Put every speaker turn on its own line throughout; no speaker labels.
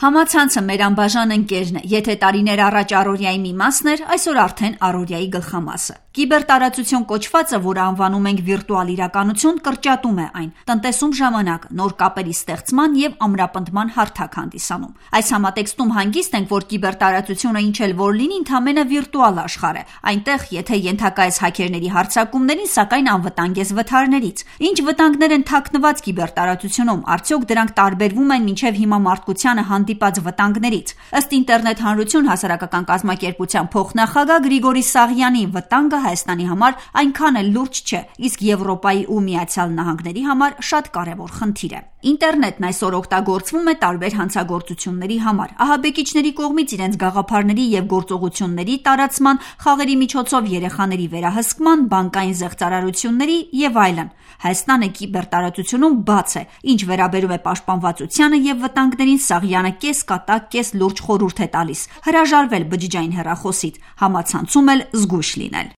Համացանցը մեր անբաժան ընկերն է, եթե տարիներ առաջ առօրյայի մի մասն էր, այսօր արդեն առօրյայի գլխամասը։ Կիբերտարածություն կոչվածը, որը անվանում ենք վիրտուալ իրականություն, կրճատում է այն, տնտեսում ժամանակ, նոր կապերի ստեղծման և ամրապնդման հարթակ հանդիսանում։ Այս համատեքստում հանգիստ ենք, որ կիբերտարածությունը ինչ էլ որ լինի, ընդամենը վիրտուալ աշխարհ է, այնտեղ, եթե ենթակա ես հաքերների հարձակումներին, սակայն անվտանգ ես վթարներից։ Ինչ վտանգներ են թաքնված կիբերտարածությունում, արդյոք դրանք տարբերվում են մինչև հիմա մարդկությանը հանդիպած վտանգներից։ Ըստ ինտերնետ հանրություն հասարակական կազմակերպության փոխնախագահ Գրիգորի Սաղյանի, վտանգը Հայաստանի համար այնքան էլ լուրջ չէ, իսկ Եվրոպայի ու Միացյալ Նահանգների համար շատ կարևոր խնդիր է։ Ինտերնետն այսօր օգտագործվում է տարբեր հանցագործությունների համար, ահաբեկիչների կողմից իրենց գաղափարների և գործողությունների տարածման, խաղերի միջոցով երեխաների վերահսկման, բանկային զեղծարարությունների և այլն։ Հայաստանը կիբերտարածությունում բաց է, ինչ վերաբերում է պաշտպանվածությանը և վտանգներին, Սաղյանը կես կատակ, կես լուրջ խորհուրդ է տալիս՝ հրաժարվել բջջային հեռախոսից, համացանցում էլ զգույշ լինել։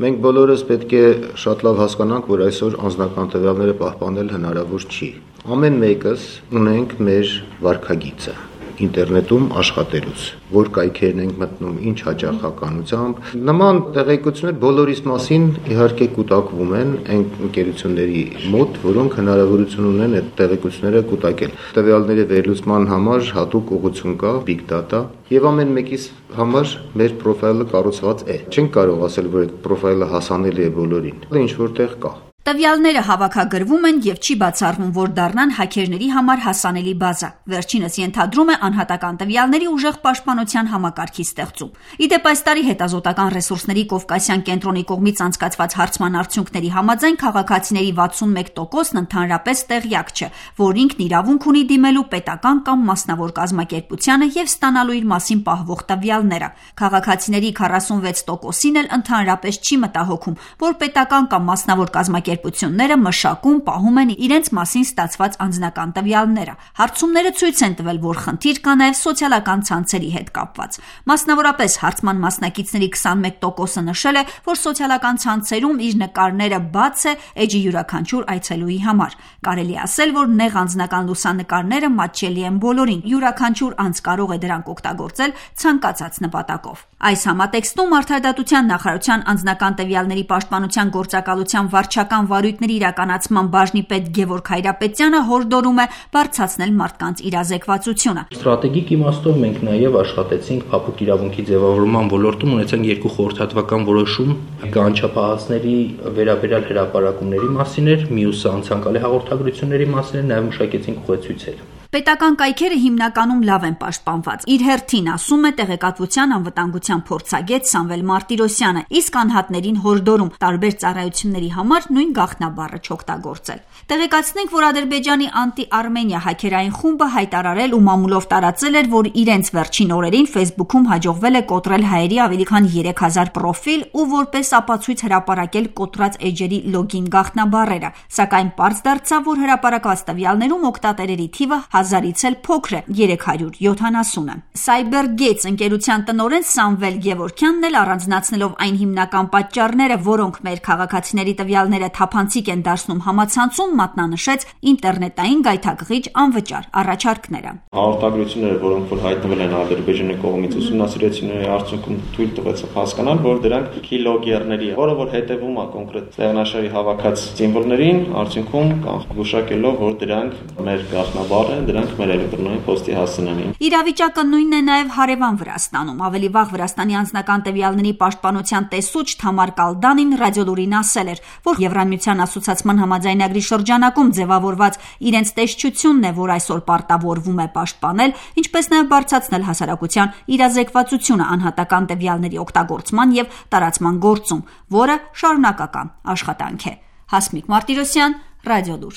Մենք բոլորս պետք է շատ լավ հասկանանք, որ այսօր անձնական տվյալները պահպանել հնարավոր չի։ Ամեն մեկս ունենք մեր վարքագիծը ինտերնետում աշխատելուց, որ կայքերն ենք մտնում, ինչ հաճախականությամբ։ Նման տեղեկություններ բոլորիս մասին իհարկե կուտակվում են այն ընկերությունների մոտ, որոնք հնարավորություն ունեն այդ տեղեկությունները կուտակել։ Տվյալների վերլուծման համար հատուկ ուղղություն կա, big data, եւ ամեն մեկիս համար մեր պրոֆայլը կառուցված է։ Չենք կարող ասել, որ այդ պրոֆայլը հասանելի է բոլորին։ Ինչ որտեղ կա։
Տվյալները հավաքագրվում են և չի բացառվում, որ դառնան հաքերների համար հասանելի բազա։ Վերջինս ենթադրում է անհատական տվյալների ուժեղ պաշտպանության համակարգի ստեղծում։ Ի դեպ, այս տարի հետազոտական ռեսուրսների Կովկասյան կենտրոնի կողմից անցկացված հարցման արդյունքների համաձայն քաղաքացիների 61%-ն ընդհանրապես տեղյակ չէ, որ ինքն իրավունք ունի դիմելու պետական կամ մասնավոր կազմակերպությանը և ստանալու իր մասին պահվող տվյալները։ Քաղաքացիների 46%-ին էլ ընդհանրապես չի մտահոգում, որ պետական կամ մասնավոր կազմակերպությունները մշակում, պահում են իրենց մասին ստացված անձնական տվյալները։ Հարցումները ցույց են տվել, որ խնդիր կա նաև սոցիալական ցանցերի հետ կապված։ Մասնավորապես հարցման մասնակիցների 21%-ը նշել է, որ սոցիալական ցանցերում իր նկարները բաց է էջի յուրաքանչյուր այցելուի համար։ Կարելի ասել, որ նեղ անձնական լուսանկարները մատչելի են բոլորին, յուրաքանչյուր անձ կարող է դրանք օգտագործել ցանկացած նպատակով։ Այս համատեքստում Արդարադատության նախարարության անձնական տվյալների պաշտպանության գործակալության վարչական վարույթների իրականացման բաժնի պետ Գևորգ Հայրապետյանը հորդորում է բարձրացնել մարդկանց իրազեկվածությունը։
Ստրատեգիկ իմաստով մենք նաև աշխատեցինք փափուկ իրավունքի ձևավորման ոլորտում, ունեցանք 2 խորհրդատվական որոշում, կանչապահածների վերաբերյալ հրապարակումների մասին էր, մյուսը անցանկալի հաղորդագրությունների մասին էր, նաև մշակեցինք ուղեցույցեր։
Պետական կայքերը հիմնականում լավ են պաշտպանված։ Իր հերթին ասում է տեղեկատվության անվտանգության փորձագետ Սամվել Մարտիրոսյանը, իսկ անհատներին հորդորում տարբեր ծառայությունների համար նույն գաղտնաբառը չօգտագործել։ Տեղեկացնենք, որ Ադրբեջանի անտի-Արմենիա հաքերային խումբը հայտարարել ու մամուլով տարածել էր, որ իրենց վերջին օրերին Facebook-ում հաջողվել է կոտրել հայերի ավելի քան 3000 պրոֆիլ ու որպես ապացույց հրապարակել կոտրած էջերի լոգին գաղտնաբառերը, սակայն պարզ դարձավ, որ հրապարակված տվյալներում օգտատերերի թիվը 1000-ից էլ փոքր է՝ 370-ը։ CyberGates ընկերության տնօրեն Սամվել Գևորգյանն էլ առանձնացնելով այն հիմնական պատճառները, որոնք մեր քաղաքացիների տվյալները թափանցիկ են դարձնում համացանցում, մատնանշեց ինտերնետային գայթակղիչ անվճար առաջարկները։
Հաղորդագրությունները, որոնք որ հայտնվել են Ադրբեջանի կողմից ուսումնասիրությունների արդյունքում թույլ տվեց հասկանալ, որ դրանք քիլոգերների, որը որ հետևում է կոնկրետ տեղնաշարի հավաքած սիմվոլներին, արդյունքում գուշակելով, որ դրանք մեր գաղտնաբառ են, դրանք մեր էլեկտրոնային փոստի հասցնեն։
Իրավիճակը նույնն է նաև հարևան Վրաստանում։ Ավելի վաղ Վրաստանի անձնական տվյալների պաշտպանության տեսուչ Թամար Կալդանին ռադիոլուրին ասել էր, որ Եվրամիության ասոցիացման համաձայնագրի շրջանակում ձևավորված իրենց տեսչությունն է, որ այսօր պարտավորվում է պաշտպանել, ինչպես նաև բարձրացնել հասարակության իրազեկվածությունը անհատական տվյալների օգտագործման և տարածման գործում, որը շարունակական աշխատանք է։ Հասմիկ Մարտիրոսյան, Ռադիոլուր։